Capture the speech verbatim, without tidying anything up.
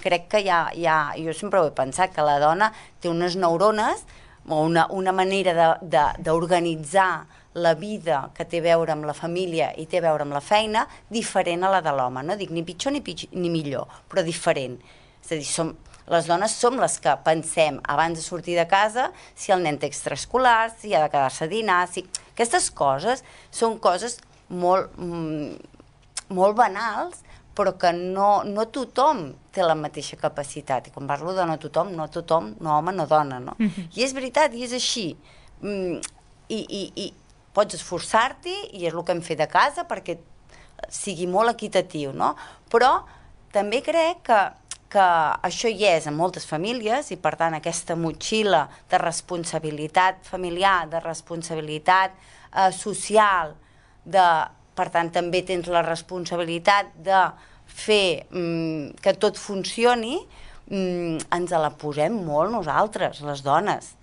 crec que hi ha, hi ha, jo sempre ho he pensat, que la dona té unes neurones o una, una manera d'organitzar la vida que té a veure amb la família i té a veure amb la feina diferent a la de l'home, no dic ni pitjor ni, pitjor ni millor, però diferent. És a dir, som, les dones som les que pensem abans de sortir de casa si el nen té extraescolars, si ha de quedar-se a dinar, si... Aquestes coses són coses molt, molt banals, però que no, no tothom té la mateixa capacitat. I quan parlo de no tothom, no tothom, no home, no dona, no? Mm-hmm. I és veritat, i és així. Mm, i, i, I pots esforçar-t'hi, i és el que hem fet a casa, perquè sigui molt equitatiu, no? Però també crec que, que això hi és en moltes famílies, i per tant aquesta motxilla de responsabilitat familiar, de responsabilitat eh, social, de... Per tant, també tens la responsabilitat de fer mm, que tot funcioni, mm, ens la posem molt nosaltres, les dones.